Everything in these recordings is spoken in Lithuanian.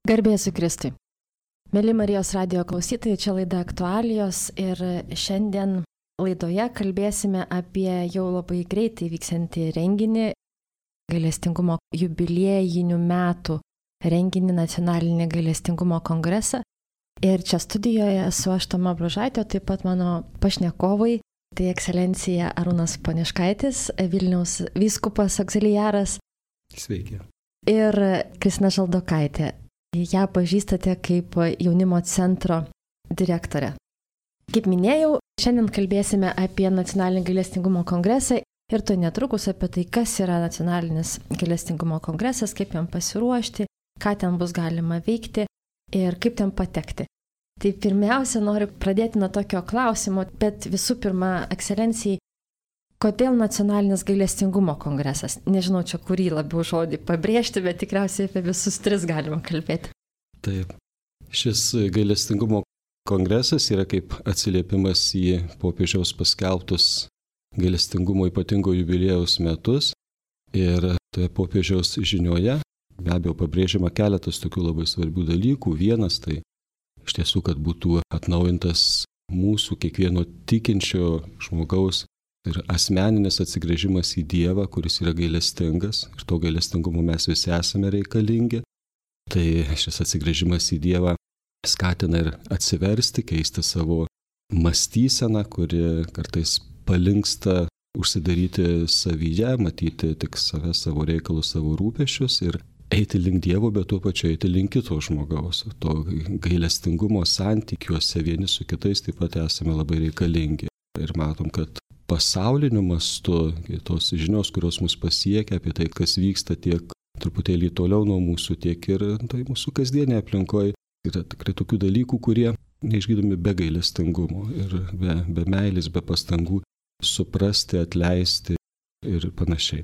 Garbė Jėzui Kristui. Mėly Marijos radijo klausytojai, čia laida Aktualijos ir šiandien laidoje kalbėsime apie jau labai greitai vyksiantį renginį, gailestingumo jubiliejinių metų renginį, nacionalinį gailestingumo kongresą. Ir čia studijoje esu aš Toma Bružaitė, taip pat mano pašnekovai, tai ekscelencija Arūnas Poniškaitis, Vilniaus vyskupas auxiliaras. Sveiki. Ir Kristina Žaldokaitė. Ją pažįstate kaip jaunimo centro direktorė. Kaip minėjau, šiandien kalbėsime apie nacionalinį gailestingumo kongresą ir to netrukus apie tai, kas yra nacionalinis gailestingumo kongresas, kaip jam pasiruošti, ką ten bus galima veikti ir kaip ten patekti. Tai pirmiausia, noriu pradėti nuo tokio klausimo, bet visų pirma, ekscelencijai, kodėl nacionalinis gailestingumo kongresas? Nežinau, čia kurį labiau žodį pabrėžti, bet tikriausiai apie visus tris galima kalbėti. Taip. Šis gailestingumo kongresas yra kaip atsiliepimas į popiežiaus paskelbtus gailestingumo ypatingo jubiliejaus metus. Ir toje popiežiaus žinioje be abejo pabrėžiama keletas tokių labai svarbių dalykų. Vienas tai iš tiesų, kad būtų atnaujintas mūsų kiekvieno tikinčio žmogaus ir asmeninis atsigręžimas į Dievą, kuris yra gailestingas, ir to gailestingumo mes visi esame reikalingi. Tai šis atsigręžimas į Dievą skatina ir atsiversti, keisti savo mąstyseną, kuri kartais palinksta užsidaryti savyje, matyti tik save, savo reikalus, savo rūpesčius ir eiti link Dievo, bet tuo pačiu eiti link kito žmogaus. To gailestingumo santykiuose vieni su kitais taip pat esame labai reikalingi. Ir matom, kad pasauliniu mastu tos žinios, kurios mus pasiekia apie tai, kas vyksta tiek truputėlį toliau nuo mūsų, tiek ir tai mūsų kasdienėje aplinkoje, yra tikrai tokių dalykų, kurie neišgydomi be gailestingumo ir be meilės, be pastangų suprasti, atleisti ir panašiai.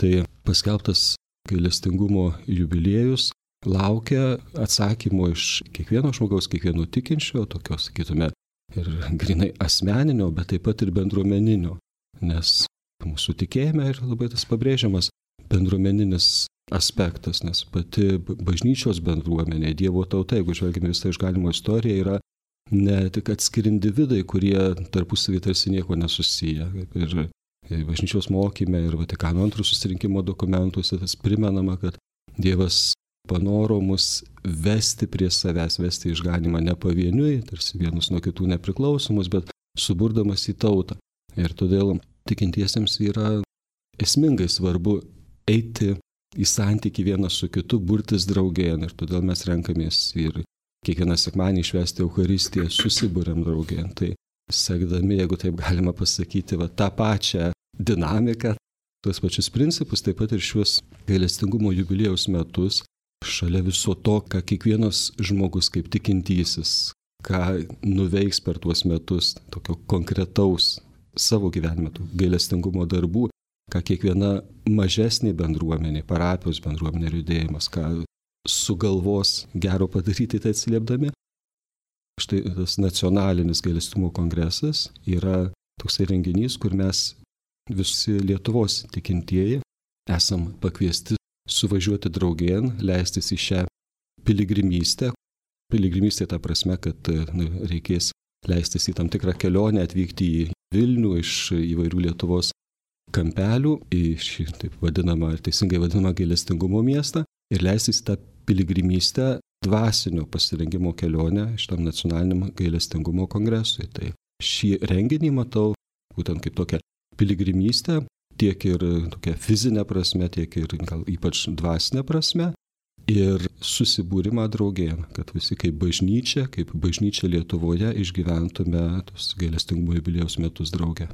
Tai paskelbtas gailestingumo jubiliejus laukia atsakymo iš kiekvieno žmogaus, kiekvieno tikinčio, tokios, sakytume, ir grinai asmeninio, bet taip pat ir bendruomeninio, nes mūsų tikėjime ir labai tas pabrėžiamas bendruomeninis aspektas, nes pati bažnyčios bendruomenė, Dievo tauta, jeigu žvelgime visą išganimo istoriją, yra ne tik atskiri individai, kurie tarpusavy tarsi nieko nesusiję. Ir bažnyčios mokyme ir Vatikano II susirinkimo dokumentuose tas primenama, kad Dievas panoro mus vesti prie savęs, vesti išganimą ne pavieniui, tarsi vienus nuo kitų nepriklausomus, bet suburdamas į tautą. Ir todėl tikintiesiems yra esmingai svarbu eiti į santykį vienas su kitu, burtis draugėn. Ir todėl mes renkamės ir kiekvieną sekmadienį švęsti Eucharistiją, susiburiam draugėn. Tai sekdami, jeigu taip galima pasakyti, tą pačią dinamiką, tuos pačius principus, taip pat ir šiuos gailestingumo jubiliejaus metus, šalia viso to, ką kiekvienas žmogus kaip tikintysis, ką nuveiks per tuos metus, tokio konkretaus savo gyvenime, gailestingumo darbų, ką kiekviena mažesnė bendruomenė, parapijos bendruomenė ir judėjimas, ką sugalvos gero padaryti, tai atsiliepdami. Štai tas nacionalinis gailestingumo kongresas yra toksai renginys, kur mes visi Lietuvos tikintieji esam pakviesti suvažiuoti draugėn, leistis į šią piligrimystę. Piligrimystė ta prasme, kad reikės leistis į tam tikrą kelionę, atvykti į Vilnių iš įvairių Lietuvos kampelių, į šį taip vadinamą, teisingai vadinamą gailestingumo miestą ir leistis į tą piligrimystę dvasinio pasirengimo kelionę šitam nacionaliniam gailestingumo kongresui. Tai šį renginį matau būtent kaip tokią piligrimystę, tiek ir tokia fizinė prasme, tiek ir gal ypač dvasinė prasme ir susibūrimą draugėn, kad visi kaip bažnyčia Lietuvoje išgyventume tos gailestingumo jubiliejaus metus drauge.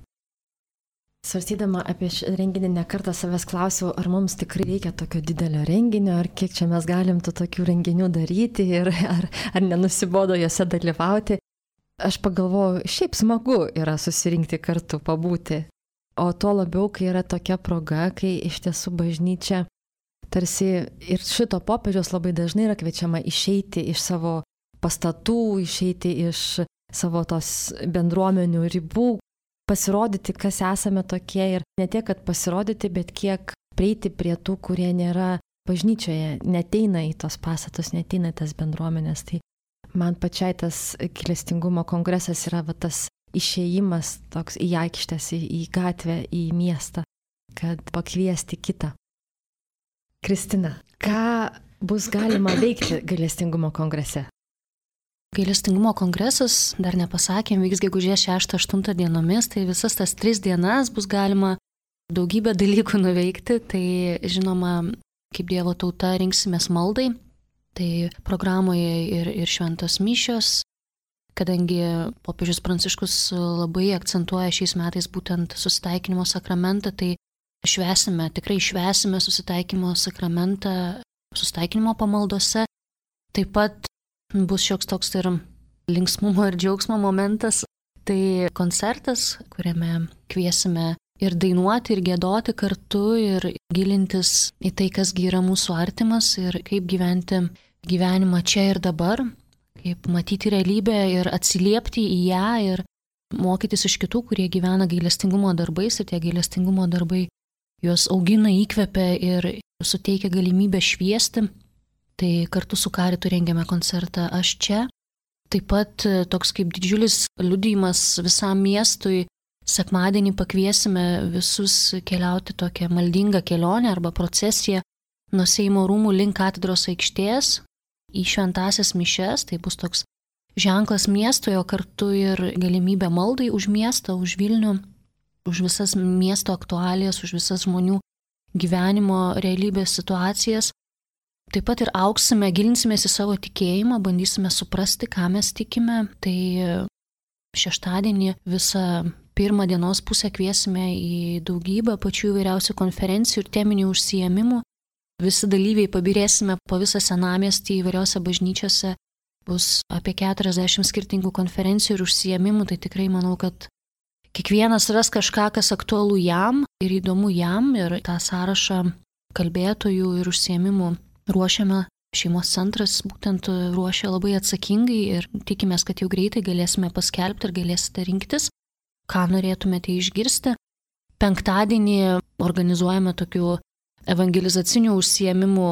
Svarstydama apie šį renginį nekartą savęs klausiau, ar mums tikrai reikia tokio didelio renginio, ar kiek čia mes galim tų tokių renginių daryti ir ar nenusibodo juose dalyvauti. Aš pagalvojau, šiaip smagu yra susirinkti kartu, pabūti. O tuo labiau, kai yra tokia proga, kai iš tiesų bažnyčia tarsi ir šito popiežiaus labai dažnai yra kviečiama išeiti iš savo pastatų, išeiti iš savo tos bendruomenių ribų, pasirodyti, kas esame tokie ir ne tiek, kad pasirodyti, bet kiek prieiti prie tų, kurie nėra bažnyčioje neteina į tos pastatus, neteina į tas bendruomenės. Tai man pačiai tas gailestingumo kongresas yra tas išėjimas toks į aikštės, į gatvę, į miestą, kad pakviesti kitą. Kristina, ką bus galima veikti gailestingumo kongrese? Gailestingumo kongresas, dar nepasakėm, vyks gegužės 6-8 dienomis, tai visas tas 3 dienas bus galima daugybę dalykų nuveikti. Tai žinoma, kaip Dievo tauta rinksimės maldai, tai programoje ir šventos mišios, kadangi popiežius Pranciškus labai akcentuoja šiais metais būtent susitaikinimo sakramentą, tai tikrai švęsime susitaikinimo sakramentą susitaikinimo pamaldose. Taip pat bus šioks toks ir linksmumo ir džiaugsmo momentas. Tai koncertas, kuriame kviesime ir dainuoti, ir giedoti kartu, ir gilintis į tai, kas yra mūsų artimas ir kaip gyventi gyvenimą čia ir dabar, kaip matyti realybę ir atsiliepti į ją ir mokytis iš kitų, kurie gyvena gailestingumo darbais ir tie gailestingumo darbai juos augina, įkvepia ir suteikia galimybę šviesti. Tai kartu su Karitu rengiame koncertą Aš čia. Taip pat toks kaip didžiulis liudijimas visam miestui. Sekmadienį pakviesime visus keliauti tokią maldingą kelionę arba procesiją nuo Seimo rūmų link katedros aikštės į šventąsias mišias. Tai bus toks ženklas miestui, o kartu ir galimybė maldai už miestą, už Vilnių, už visas miesto aktualijas, už visas žmonių gyvenimo realybės situacijas. Taip pat ir auksime, gilinsimės į savo tikėjimą, bandysime suprasti, ką mes tikime. Tai šeštadienį visą pirmą dienos pusę kviesime į daugybę pačių įvairiausių konferencijų ir teminių užsiėmimų. Visi dalyviai pabirėsime po visą senamiestį įvairiose bažnyčiose. Bus apie 40 skirtingų konferencijų ir užsiėmimų. Tai tikrai manau, kad kiekvienas ras kažką, kas aktualu jam ir įdomu jam. Ir tą sąrašą kalbėtojų ir užsiėmimų ruošiame. Šeimos centras būtent ruošia labai atsakingai ir tikimės, kad jau greitai galėsime paskelbti ir galėsite rinktis, ką norėtumėte išgirsti. Penktadienį organizuojame tokių evangelizacinių užsiėmimų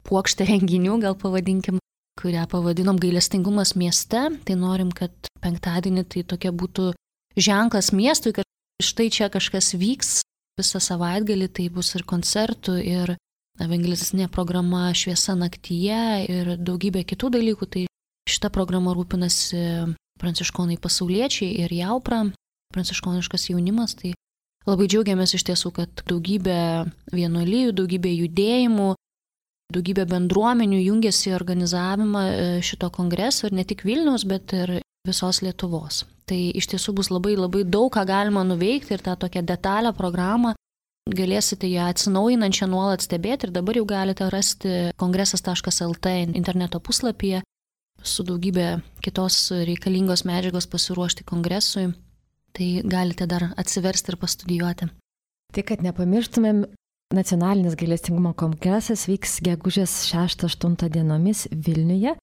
puokštę renginių, gal pavadinkim, kurią pavadinom Gailestingumas mieste. Tai norim, kad penktadienį tai tokia būtų ženklas miestui, kad štai čia kažkas vyks visą savaitgalį. Tai bus ir koncertų, ir evangelizacinė programa Šviesa naktyje ir daugybė kitų dalykų. Tai šita programa rūpinasi pranciškonai pasauliečiai ir Jaupra, pranciškoniškas jaunimas. Tai labai džiaugiamės iš tiesų, kad daugybė vienuolijų, daugybė judėjimų, daugybė bendruomenių jungiasi į organizavimą šito kongreso ir ne tik Vilniaus, bet ir visos Lietuvos. Tai iš tiesų bus labai daug, ką galima nuveikti ir tą tokią detalę programą galėsite ją atsinaujinančią nuolat stebėti ir dabar jau galite rasti kongresas.lt interneto puslapyje su daugybė kitos reikalingos medžiagos pasiruošti kongresui. Tai galite dar atsiversti ir pastudijuoti. Tai kad nepamirštumėm, Nacionalinis gailestingumo kongresas vyks gegužės 6-8 dienomis Vilniuje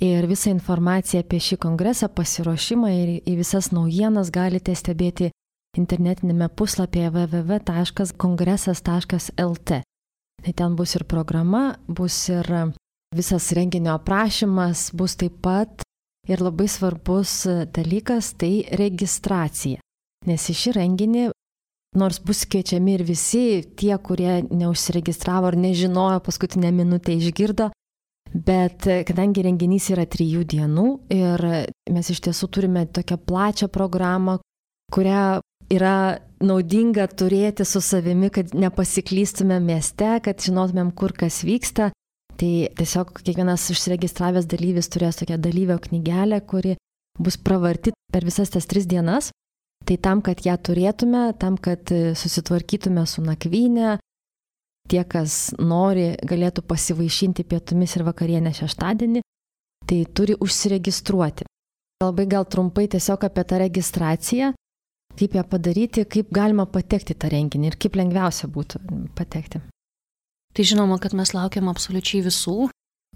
ir visą informaciją apie šį kongresą, pasiruošimą ir į visas naujienas galite stebėti internetinėme puslapyje www.kongresas.lt. Tai ten bus ir programa, bus ir visas renginio aprašymas, bus taip pat ir labai svarbus dalykas - tai registracija. Nes į šį renginį, nors bus kviečiami ir visi tie, kurie neužsiregistravo ar nežinojo, paskutinę minutę išgirdo, bet kadangi renginys yra 3 dienų ir mes iš tiesų turime tokią plačią programą, kurią yra naudinga turėti su savimi, kad nepasiklystume mieste, kad žinotumėm, kur kas vyksta. Tai tiesiog kiekvienas užsiregistravęs dalyvis turės tokią dalyvio knygelę, kuri bus pravarti per visas tas 3 dienas. Tai tam, kad ją turėtume, tam, kad susitvarkytume su nakvynė, tie, kas nori, galėtų pasivaišinti pietumis ir vakarienę šeštadienį, tai turi užsiregistruoti. Labai gal trumpai tiesiog apie tą registraciją, kaip ją padaryti, kaip galima patekti tą renginį ir kaip lengviausia būtų patekti. Tai žinoma, kad mes laukiam absoliučiai visų,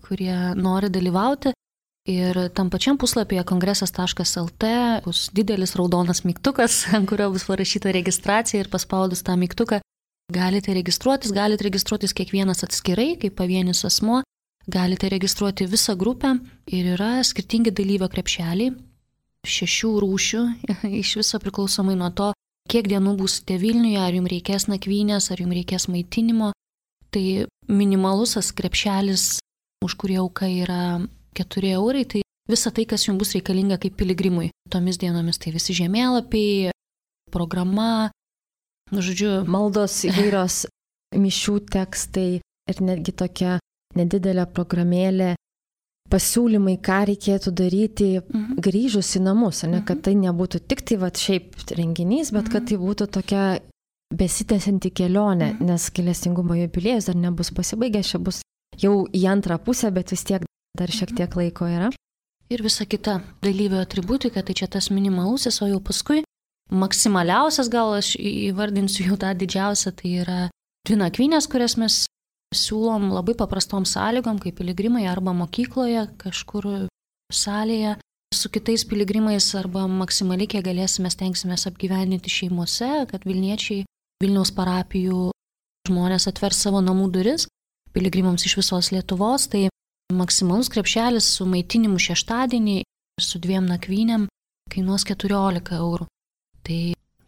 kurie nori dalyvauti. Ir tam pačiam puslapyje kongresas.lt bus didelis raudonas mygtukas, ant kurio bus parašyta registracija ir paspaudus tą mygtuką galite registruotis kiekvienas atskirai, kaip pavienis asmuo, galite registruoti visą grupę ir yra skirtingi dalyvio krepšeliai, 6 rūšių, iš viso priklausomai nuo to, kiek dienų būsite Vilniuje, ar jums reikės nakvynės, ar jums reikės maitinimo. Tai minimalus krepšelis, už kurį auka yra 4 eurai, tai visa tai, kas jums bus reikalinga kaip piligrimui. Tomis dienomis tai visi žemėlapiai, programa, maldos įvairios mišių tekstai ir netgi tokia nedidelė programėlė, pasiūlymai, ką reikėtų daryti grįžus į namus, ne, kad tai nebūtų tik tai šiaip renginys, bet kad tai būtų tokia besitęsianti kelionė, nes gailestingumo jubiliejus dar nebus pasibaigęs, čia bus jau į antrą pusę, bet vis tiek dar šiek tiek laiko yra. Ir visa kita dalyvio atributika, tai čia tas minimalusis, o jau paskui maksimaliausias, gal aš įvardinsiu jau tą didžiausią, tai yra 2 nakvynės, kurias mes siūlom labai paprastom sąlygom, kaip piligrimai arba mokykloje, kažkur salėje, su kitais piligrimais arba maksimaliai, kiek galėsime, stengsimės apgyvendinti šeimose, kad Vilniečiai, Vilniaus parapijų žmonės atvers savo namų duris piligrimams iš visos Lietuvos, tai maksimalus krepšelis su maitinimu šeštadienį ir su 2 nakvynėm kainuos 14 eurų. Tai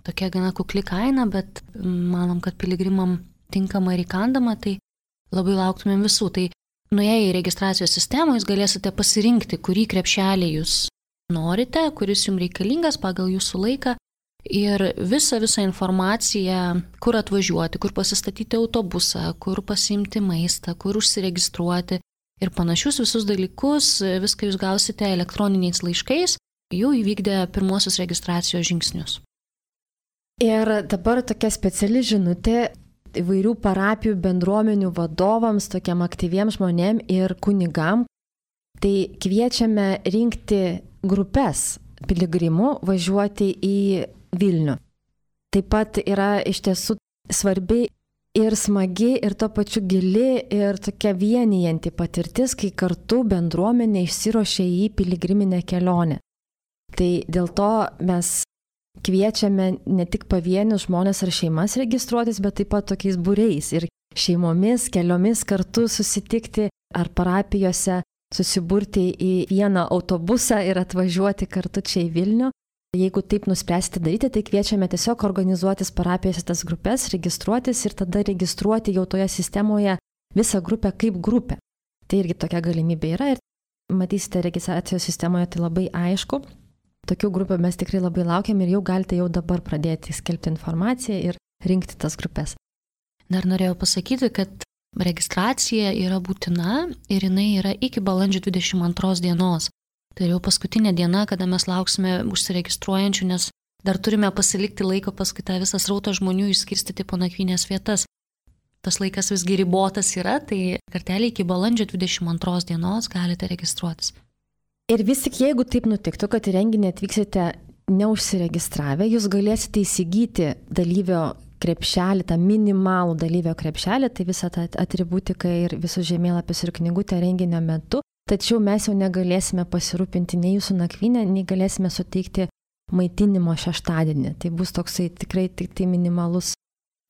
tokia gana kukli kaina, bet manom, kad piligrimam tinkama ir įkandama, tai labai lauktumėm visų. Tai nuėję į registracijos sistemą jūs galėsite pasirinkti, kurį krepšelį jūs norite, kuris jums reikalingas pagal jūsų laiką ir visą informaciją, kur atvažiuoti, kur pasistatyti autobusą, kur pasiimti maistą, kur užsiregistruoti ir panašius visus dalykus, viską jūs gausite elektroniniais laiškais, jau įvykdę pirmosius registracijos žingsnius. Ir dabar tokia speciali žinutė įvairių parapijų bendruomenių vadovams, tokiam aktyviems žmonėm ir kunigam. Tai kviečiame rinkti grupės piligrimų važiuoti į Vilnių. Taip pat yra iš tiesų svarbi ir smagi, ir tuo pačiu gili, ir tokia vienijanti patirtis, kai kartu bendruomenė išsiruošia į piligriminę kelionę. Tai dėl to mes kviečiame ne tik pavienius žmonės ar šeimas registruotis, bet taip pat tokiais būriais ir šeimomis, keliomis kartu susitikti ar parapijose susiburti į vieną autobusą ir atvažiuoti kartu čia į Vilnių. Jeigu taip nuspręsite daryti, tai kviečiame tiesiog organizuotis parapijose tas grupės, registruotis ir tada registruoti jau toje sistemoje visą grupę kaip grupę. Tai irgi tokia galimybė yra ir matysite registracijos sistemoje, tai labai aišku. Tokių grupių mes tikrai labai laukiam ir jau galite jau dabar pradėti skelbti informaciją ir rinkti tas grupės. Dar norėjau pasakyti, kad registracija yra būtina ir jinai yra iki balandžio 22 dienos. Tai jau paskutinė diena, kada mes lauksime užsiregistruojančių, nes dar turime pasilikti laiko paskui tą visą srautą žmonių išskirstyti po nakvynės vietas. Tas laikas visgi ribotas yra, tai kartelį iki balandžio 22 dienos galite registruotis. Ir vis tik jeigu taip nutiktų, kad į renginį atvyksite neužsiregistravę, jūs galėsite įsigyti dalyvio krepšelį, tą minimalų dalyvio krepšelį, tai visą tą atributiką ir visus žemėlapius ir knygutę renginio metu, tačiau mes jau negalėsime pasirūpinti nei jūsų nakvynę, nei galėsime suteikti maitinimo šeštadienį. Tai bus toksai tikrai tik tai minimalus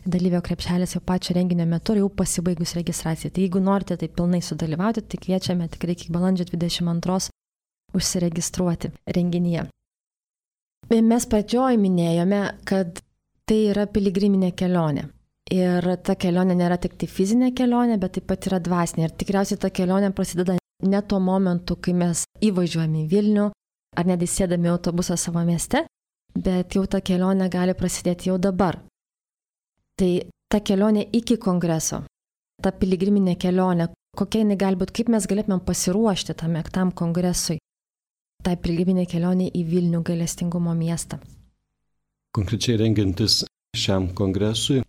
dalyvio krepšelis jau pačio renginio metu ir jau pasibaigus registracijai. Tai jeigu norite tai pilnai sudalyvauti, tai kviečiame tikrai iki balandžio 22 užsiregistruoti renginyje. Mes pradžioj minėjome, kad tai yra piligriminė kelionė. Ir ta kelionė nėra tik tai fizinė kelionė, bet taip pat yra dvasinė. Ir tikriausiai ta kelionė prasideda ne tuo momentu, kai mes įvažiuojame į Vilnių, ar net įsėdami autobusą savo mieste, bet jau ta kelionė gali prasidėti jau dabar. Tai ta kelionė iki kongreso, ta piligriminė kelionė, kokia jinai gali būti, kaip mes galėtume pasiruošti tam kongresui, tai piligriminė kelionė į Vilnių gailestingumo miestą. Konkrečiai rengiantis šiam kongresui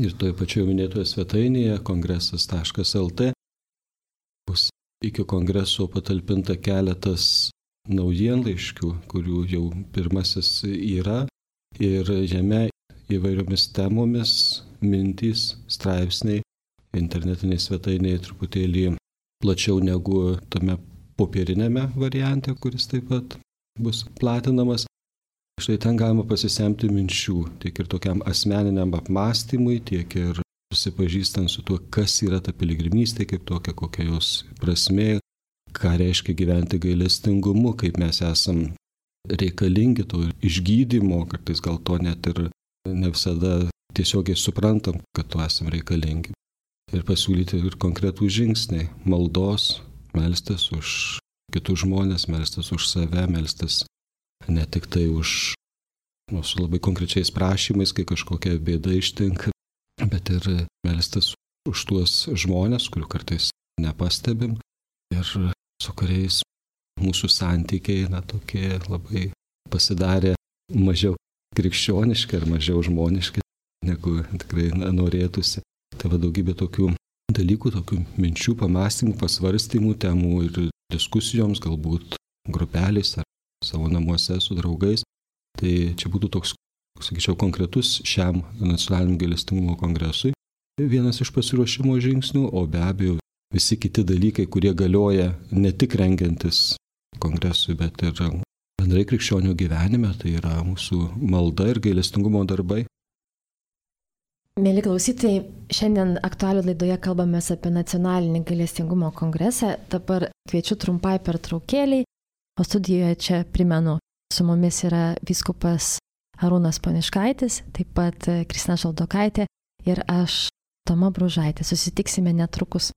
ir toje pačioje minėtoje svetainėje kongresas.lt bus iki kongreso patalpinta keletas naujienlaiškių, kurių jau pirmasis yra ir jame įvairiomis temomis, mintys, straipsniai, internetinėje svetainėje truputėlį plačiau negu tame popierinėme variante, kuris taip pat bus platinamas. Štai ten galima pasisemti minčių, tiek ir tokiam asmeniniam apmąstymui, tiek ir susipažįstant su tuo, kas yra ta piligrimystė kaip tokia, kokia jos prasmė, ką reiškia gyventi gailestingumu, kaip mes esam reikalingi to išgydymo, kartais gal to net ir ne visada tiesiogiai suprantam, kad to esam reikalingi. Ir pasiūlyti ir konkretų žingsniai - maldos, melstis už kitus žmonės, melstis už save, melstis ne tik tai už, su labai konkrečiais prašymais, kai kažkokia bėda ištinka, bet ir melstis už tuos žmonės, kurių kartais nepastebim ir su kuriais mūsų santykiai, tokie labai pasidarė mažiau krikščioniški ar mažiau žmoniški, negu tikrai norėtųsi. Tai daugybė tokių dalykų, tokių minčių, pamastymų, pasvarstymų, temų ir diskusijoms, galbūt grupeliais ar savo namuose su draugais. Tai čia būtų toks, sakyčiau, konkretus šiam nacionaliniam gailestingumo kongresui vienas iš pasiruošimo žingsnių, o be abejo visi kiti dalykai, kurie galioja ne tik rengiantis kongresui, bet ir bendrai krikščionių gyvenime, tai yra mūsų malda ir gailestingumo darbai. Mėly klausytojai, šiandien aktualių laidoje kalbame apie nacionalinį gailestingumo kongresą. Dabar kviečiu trumpai pertraukėliai, o studijoje čia primenu, su mumis yra vyskupas Arūnas Poniškaitis, taip pat Kristina Šaldokaitė ir aš, Toma Bružaitė. Susitiksime netrukus.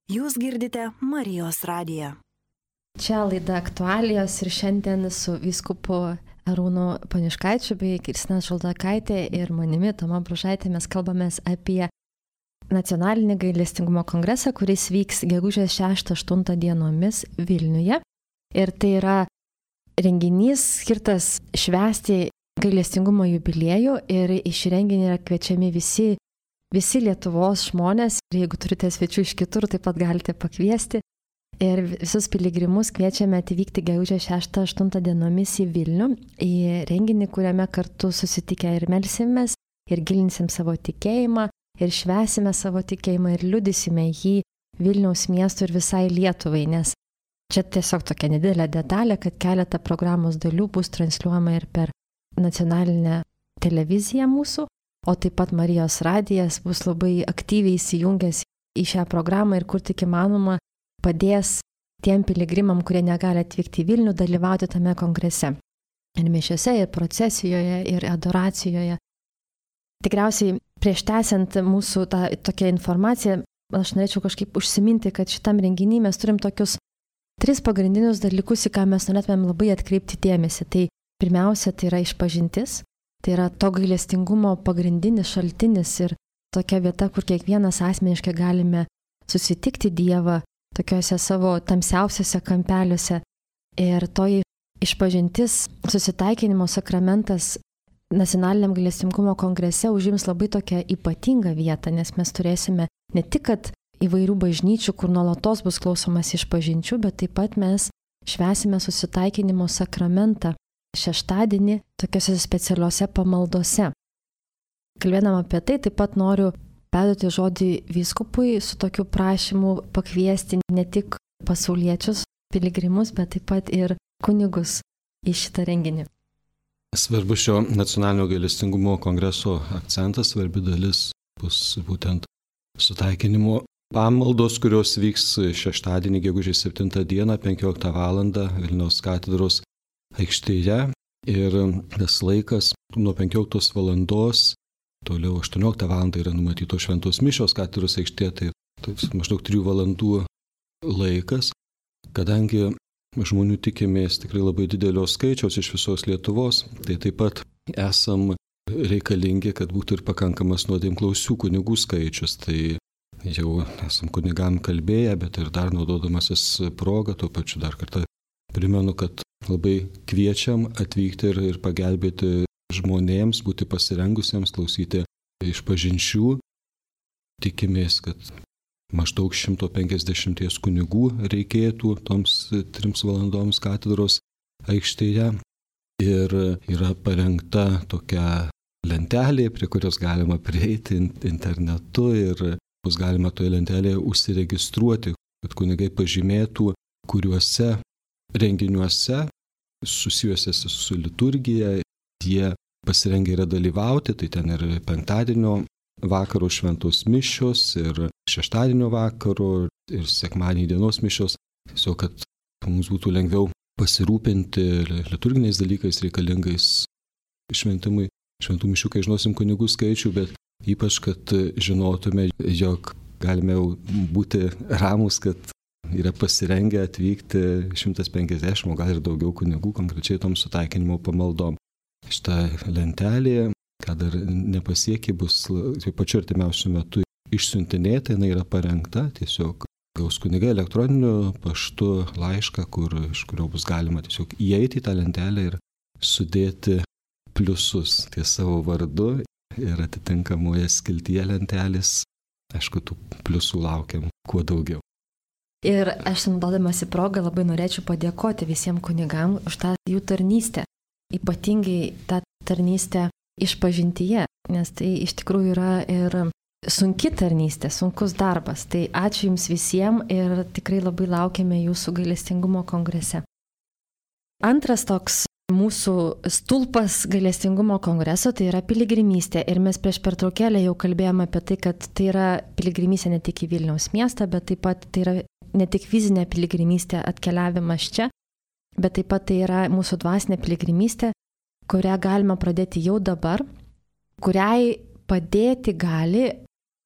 Jūs girdite Marijos radiją. Čia laida aktualijos ir šiandien su vyskupu Arūnu Poniškaičiu bei Kristina Šaldokaitė ir manimi Toma Bružaitė mes kalbamės apie Nacionalinį gailestingumo kongresą, kuris vyks gegužės 6-8 dienomis Vilniuje. Ir tai yra renginys skirtas švęsti gailestingumo jubiliejų ir į šį renginį yra kviečiami visi Lietuvos žmonės. Ir jeigu turite svečių iš kitur, taip pat galite pakviesti. Ir visus piligrimus kviečiame atvykti gegužės 6-8 dienomis į Vilnių, į renginį, kuriame kartu susitikę ir melsimės, ir gilinsim savo tikėjimą, ir švęsime savo tikėjimą, ir liudysime jį Vilniaus miestui ir visai Lietuvai, nes čia tiesiog tokia nedidelė detalė, kad keletą programos dalių bus transliuojama ir per nacionalinę televiziją mūsų, o taip pat Marijos radijas bus labai aktyviai įsijungęs į šią programą ir kur tik įmanoma padės tiem piligrimam, kurie negali atvykti į Vilnių, dalyvauti tame kongrese. Ir mišiose, ir procesijoje, ir adoracijoje. Tikriausiai prieš tęsiant mūsų tą tokią informaciją, aš norėčiau kažkaip užsiminti, kad šitam renginį mes turim tokius 3 pagrindinius dalykus, į ką mes norėtumėm labai atkreipti dėmesį. Tai pirmiausia, tai yra išpažintis, tai yra to gailestingumo pagrindinis šaltinis ir tokia vieta, kur kiekvienas asmeniškai galime susitikti Dievą tokiuose savo tamsiausiuose kampeliuose. Ir toji išpažintis, susitaikinimo sakramentas Nacionaliniam gailestingumo kongrese užims labai tokią ypatingą vietą, nes mes turėsime ne tik kad įvairių bažnyčių, kur nuolatos bus klausomas išpažinčių, bet taip pat mes švęsime susitaikinimo sakramentą šeštadienį tokiuose specialiuose pamaldose. Kalbėdama apie tai, taip pat noriu perduoti žodį vyskupui su tokiu prašymu pakviesti ne tik pasauliečius, piligrimus, bet taip pat ir kunigus į šitą renginį. Svarbu šio nacionalinio gailestingumo kongreso akcentas, svarbi dalis bus būtent sutaikinimo pamaldos, kurios vyks šeštadienį gegužės 7 dieną 15 val. Vilniaus katedros aikštėje. Ir tas laikas nuo 15 valandos, toliau 18 val. Yra numatytos šventos mišios katedros aikštėje, tai maždaug 3 valandų laikas, kadangi žmonių tikimės tikrai labai didelio skaičiaus iš visos Lietuvos, tai taip pat esam reikalingi, kad būtų ir pakankamas nuodėmklausių kunigų skaičius. Tai jau esam kunigam kalbėję, bet ir dar naudodamasis progą, tuo pačiu dar kartą primenu, kad labai kviečiam atvykti ir pagelbėti žmonėms, būti pasirengusiems klausyti išpažinčių. Tikimės, kad maždaug 150 kunigų reikėtų toms 3 valandoms katedros aikštėje. Ir yra parengta tokia lentelė, prie kurios galima prieiti internetu ir bus galima toje lentelėje užsiregistruoti, kad kunigai pažymėtų, kuriuose renginiuose susijusiuose su liturgija jie pasirengę yra dalyvauti. Tai ten ir penktadienio vakaro šventos mišios, ir šeštadienio vakaro, ir sekmadienio dienos mišios. Tiesiog, kad mums būtų lengviau pasirūpinti liturginiais dalykais reikalingais šventimui, šventų mišių, kai žinosim kunigų skaičių, bet ypač, kad žinotume, jog galime būti ramus, kad yra pasirengę atvykti 150, o gal ir daugiau kunigų konkrečiai tom sutaikinimo pamaldom. Šitą lentelė, ką dar nepasiekė, bus pačiu artimiausiu metu išsiuntinėta, jinai yra parengta, tiesiog gaus kunigai elektroniniu paštu laišką, iš kurio bus galima tiesiog įeiti į tą lentelę ir sudėti pliusus ties savo vardu ir atitinkamoje skiltyje lentelės. Aišku, tų pliusų laukiam kuo daugiau. Ir aš naudodamasi progą labai norėčiau padėkoti visiems kunigam už tą jų tarnystę. Ypatingai tą tarnystę išpažintyje, nes tai iš tikrųjų yra ir sunki tarnystė, sunkus darbas. Tai ačiū Jums visiems ir tikrai labai laukiame Jūsų gailestingumo kongrese. Antras toks mūsų stulpas gailestingumo kongreso tai yra piligrimystė. Ir mes prieš pertraukėlę jau kalbėjome apie tai, kad tai yra piligrimystė ne tik į Vilniaus miestą, bet taip pat tai yra ne tik fizinė piligrimystė atkeliavimas čia, bet taip pat tai yra mūsų dvasinė piligrimystė, kurią galima pradėti jau dabar, kuriai padėti gali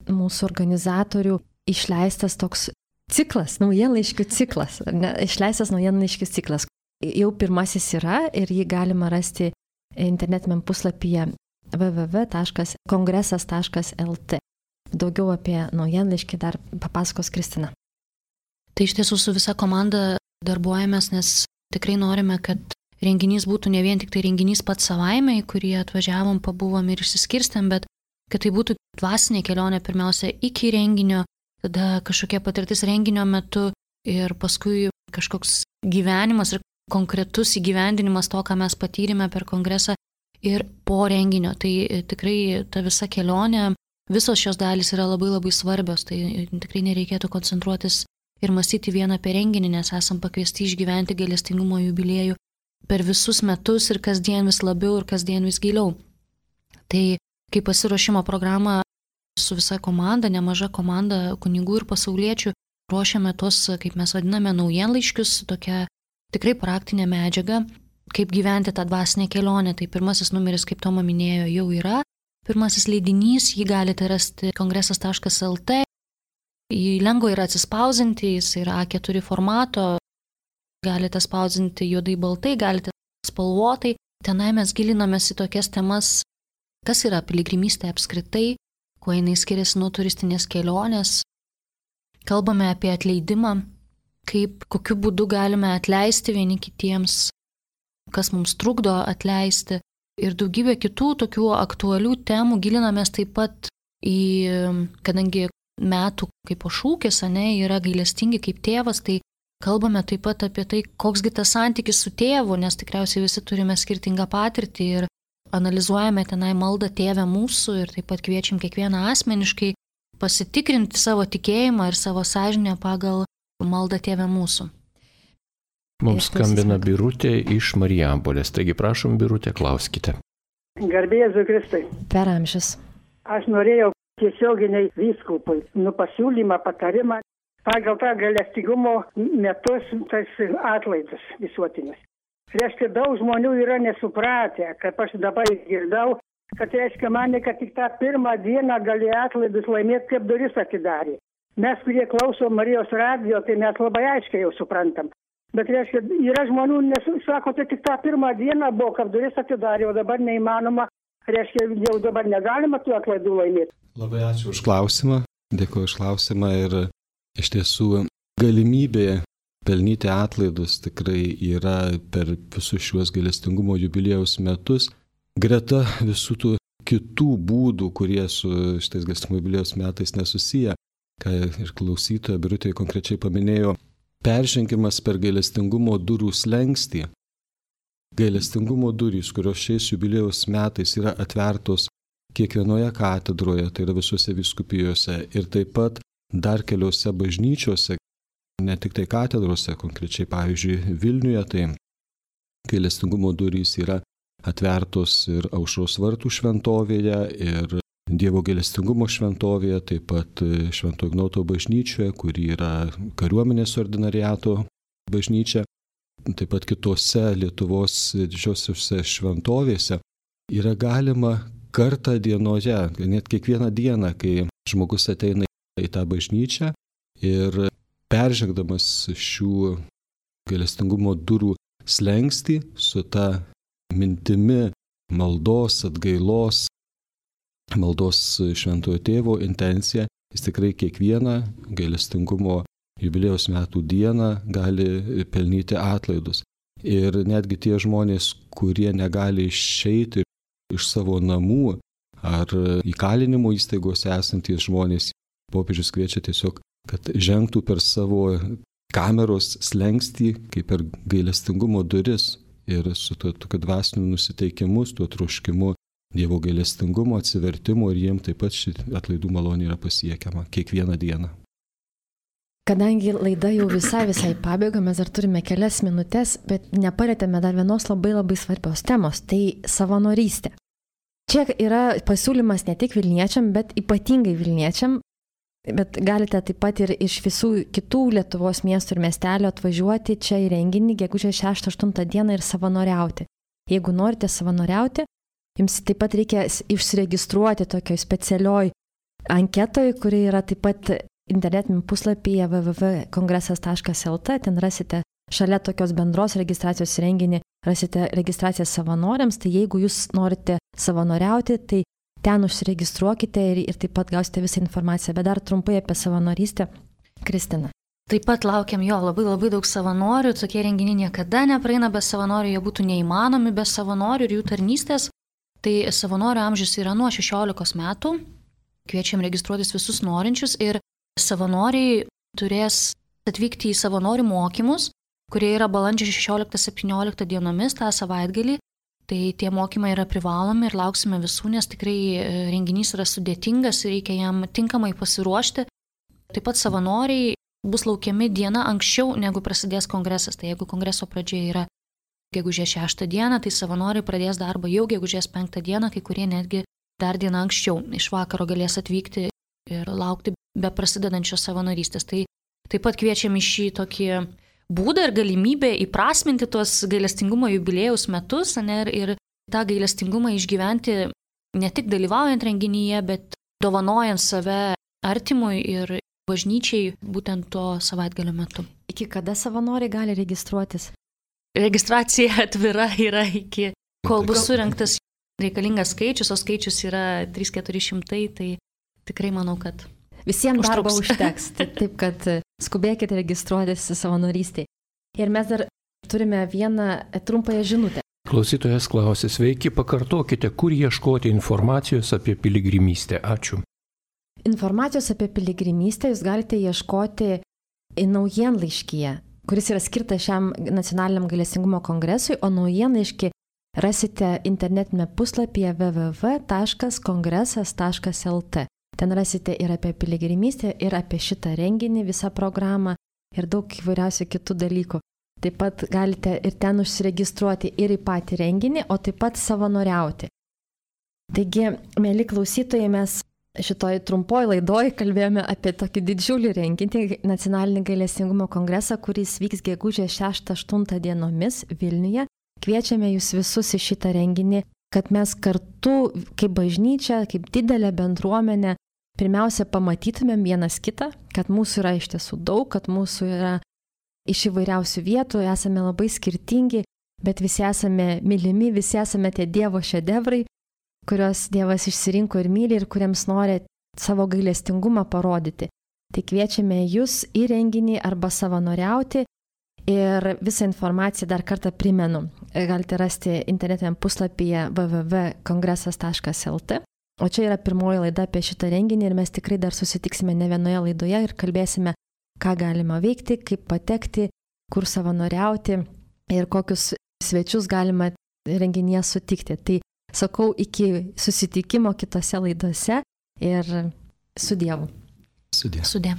mūsų organizatorių išleistas toks ciklas, naujienlaiškių ciklas, išleistas naujienlaiškių ciklas. jau pirmasis yra ir jį galima rasti internetiniam puslapyje www.kongresas.lt. Daugiau apie naujienlaiškį dar papasakos Kristina. Tai iš tiesų su visa komanda darbuojamės, nes tikrai norime, kad renginys būtų ne vien tik tai renginys pats savaime, į kurį atvažiavom, pabuvom ir išsiskirstėm, bet kad tai būtų dvasinė kelionė pirmiausia iki renginio, tada kažkokia patirtis renginio metu ir paskui kažkoks gyvenimas ir konkretus įgyvendinimas to, ką mes patyrėme per kongresą ir po renginio. Tai tikrai ta visa kelionė, visos šios dalys yra labai labai svarbios, tai tikrai nereikėtų koncentruotis ir mąstyti vieną apie renginį, nes esam pakviesti išgyventi gailestingumo jubiliejų per visus metus ir kasdien vis labiau ir kasdien vis giliau. Tai kai pasiruošimo programą su visa komanda, nemaža komanda kunigų ir pasauliečių, ruošiame tos, kaip mes vadiname, naujienlaiškius, tokia tikrai praktinė medžiaga, kaip gyventi tą dvasinę kelionę. Tai pirmasis numeris, kaip Toma minėjo, jau yra. Pirmasis leidinys, jį galite rasti kongresas.lt. Jį lengva yra atsispausinti, jis yra A4 formato, galite spausdinti juodai baltai, galite spalvotai. Tenai mes gilinamės į tokias temas, kas yra piligrimystė apskritai, kuo jinai skiriasi nuo turistinės kelionės. Kalbame apie atleidimą, kokiu būdu galime atleisti vieni kitiems, kas mums trukdo atleisti ir daugybė kitų tokių aktualių temų. Gilinamės taip pat kadangi metų kaip šūkis, yra gailestingi kaip tėvas, tai kalbame taip pat apie tai, koksgi tas santykis su tėvu, nes tikriausiai visi turime skirtingą patirtį ir analizuojame tenai maldą Tėve mūsų ir taip pat kviečiam kiekvieną asmeniškai pasitikrinti savo tikėjimą ir savo sąžinę pagal maldą Tėve mūsų. Mums skambina Birutė iš Marijampolės, taigi prašom Birutė, klauskite. Garbė Jėzui Kristui. Per amžius. Aš norėjau tiesioginiai vyskupui pasiūlymą, patarimą pagal tą gailestingumo metus, tas atlaidus visuotinis. Reiškia, daug žmonių yra nesupratę, kaip aš dabar girdau, kad reiškia mane, kad tik tą pirmą dieną gali atlaidus laimėti, kaip duris atidarė. Mes, kurie klausom Marijos radijo, tai mes labai aiškiai jau suprantam. Bet reiškia, yra žmonių, sako, tai tik tą pirmą dieną buvo, kad duris atidarė, o dabar neįmanoma. Reiškia, jau dabar negalima tų atlaidų laimėti. Labai ačiū už klausimą, dėkuoju už klausimą ir iš tiesų galimybė pelnyti atlaidus tikrai yra per visus šiuos gailestingumo jubiliejaus metus. Greta visų tų kitų būdų, kurie su šitais gailestingumo jubiliejaus metais nesusiję, ką ir klausytoja Birutė konkrečiai paminėjo, peržengimas per gailestingumo durų slenkstį. Gailestingumo durys, kurios šiais jubiliejaus metais yra atvertos kiekvienoje katedroje, tai yra visose vyskupijose ir taip pat dar keliose bažnyčiose, ne tik tai katedrose, konkrečiai pavyzdžiui Vilniuje, tai gailestingumo durys yra atvertos ir Aušros vartų šventovėje, ir Dievo gailestingumo šventovėje, taip pat Švento Ignoto bažnyčioje, kuri yra kariuomenės ordinariato bažnyčia. Taip pat kitose Lietuvos didžiosiuose šventovėse yra galima kartą dienoje, net kiekvieną dieną, kai žmogus ateina į tą bažnyčią ir peržengdamas šių gailestingumo durų slenkstį su ta mintimi maldos, atgailos, maldos Šventojo Tėvo intencija, jis tikrai kiekvieną gailestingumo jubiliejaus metų dieną gali pelnyti atlaidus. Ir netgi tie žmonės, kurie negali išeiti iš savo namų ar įkalinimo įstaigose esantys žmonės, popiežius kviečia tiesiog, kad žengtų per savo kameros slenkstį, kaip per gailestingumo duris ir su tokiu dvasiniu nusiteikimu, su tuo troškimu Dievo gailestingumo, atsivertimo ir jiems taip pat ši atlaidų malonė yra pasiekiama kiekvieną dieną. Kadangi laida jau visai pabaiga, mes dar turime kelias minutės, bet nepalėtėme dar vienos labai svarbios temos, tai savanorystė. Čia yra pasiūlymas ne tik Vilniečiam, bet ypatingai Vilniečiam, bet galite taip pat ir iš visų kitų Lietuvos miestų ir miestelio atvažiuoti čia į renginį gegužės 6-8 dieną ir savanoriauti. Jeigu norite savanoriauti, jums taip pat reikia išsiregistruoti tokioj specialioj anketoj, kuri yra taip pat internetiniam puslapyje www.kongresas.lt, ten rasite šalia tokios bendros registracijos renginį rasite registraciją savanoriams, tai jeigu jūs norite savanoriauti, tai ten užsiregistruokite ir taip pat gausite visą informaciją. Bet dar trumpai apie savanorystę. Kristina. Taip pat laukiam labai daug savanorių, tokie renginiai niekada nepraeina be savanorių, jie būtų neįmanomi be savanorių ir jų tarnystės. Tai savanorių amžius yra nuo 16 metų, kviečiam registruotis visus norinčius ir savanoriai turės atvykti į savanorių mokymus, kurie yra balandžio 16-17 dienomis tą savaitgalį. Tai tie mokymai yra privalomi ir lauksime visų, nes tikrai renginys yra sudėtingas ir reikia jam tinkamai pasiruošti. Taip pat savanoriai bus laukiami diena anksčiau, negu prasidės kongresas. Tai jeigu kongreso pradžia yra gegužės 6 dieną, tai savanoriai pradės darbą jau gegužės 5 dieną, kai kurie netgi dar dieną anksčiau iš vakaro galės atvykti ir laukti be prasidedančios savanorystės. Tai taip pat kviečiam į šį tokį būdą ir galimybę įprasminti tuos gailestingumo jubiliejaus metus ir tą gailestingumą išgyventi ne tik dalyvaujant renginyje, bet dovanojant save artimui ir bažnyčiai būtent to savaitgalio metu. Iki kada savanoriai gali registruotis? Registracija atvira yra iki, kol bus surinktas reikalingas skaičius, o skaičius yra 300-400, tai tikrai manau, kad visiems darbo užteks, taip kad skubėkite registruotis savanorystėje. Ir mes dar turime vieną trumpąją žinutę. Klausytojas klausė, sveiki, pakartokite, kur ieškoti informacijos apie piligrimystę. Ačiū. Informacijos apie piligrimystę jūs galite ieškoti naujienlaiškyje, kuris yra skirtas šiam nacionaliniam gailestingumo kongresui, o naujienlaiškį rasite internetinėme puslapyje www.kongresas.lt. Ten rasite ir apie piligrimystę, ir apie šitą renginį, visą programą ir daug įvairiausių kitų dalykų. Taip pat galite ir ten užsiregistruoti ir į patį renginį, o taip pat savanoriauti. Taigi, mėly klausytojai, mes šitoj trumpoj laidoj kalbėjome apie tokį didžiulį renginį, Nacionalinį gailestingumo kongresą, kuris vyks gegužės 6-8 dienomis Vilniuje. Kviečiame jūs visus į šitą renginį, kad mes kartu, kaip bažnyčia, kaip didelė bendruomenė, pirmiausia pamatytumėm vienas kitą, kad mūsų yra iš tiesų daug, kad mūsų yra iš įvairiausių vietų, esame labai skirtingi, bet visi esame mylimi, visi esame tie Dievo šedevrai, kurios Dievas išsirinko ir myli ir kuriems nori savo gailestingumą parodyti. Tai kviečiame jūs į renginį arba savanoriauti ir visą informaciją dar kartą primenu. Galite rasti internetiniam puslapyje www.kongresas.lt. O čia yra pirmoji laida apie šitą renginį ir mes tikrai dar susitiksime ne vienoje laidoje ir kalbėsime, ką galima veikti, kaip patekti, kur savanoriauti ir kokius svečius galima renginyje sutikti. Tai sakau, iki susitikimo kitose laidose ir su Dievu. Sudie. Sudie.